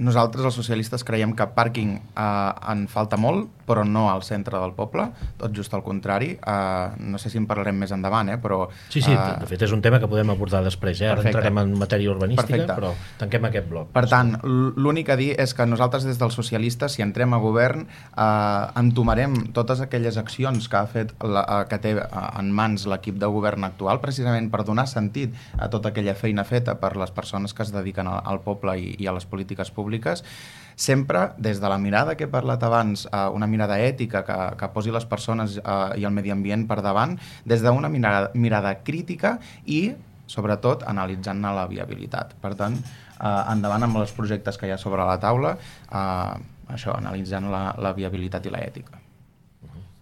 Nosaltres, els socialistes, creiem que pàrquing en falta molt, però no al centre del poble, tot just al contrari. No sé si en parlarem més endavant, però... Sí, de fet és un tema que podem abordar després. Ara entrarem en matèria urbanística, però tanquem aquest bloc. Per tant, l'únic a dir és que nosaltres des dels socialistes, si entrem a govern, entomarem totes aquelles accions que té en mans l'equip de govern actual, precisament per donar sentit a tota aquella feina feta per les persones que es dediquen al poble i a les polítiques públiques, sempre des de la mirada que he parlat abans, una mirada ètica que posi les persones i el medi ambient per davant, des d'una mirada crítica i, sobretot, analitzant-ne la viabilitat. Per tant, endavant amb els projectes que hi ha sobre la taula, això, analitzant la viabilitat i l'ètica.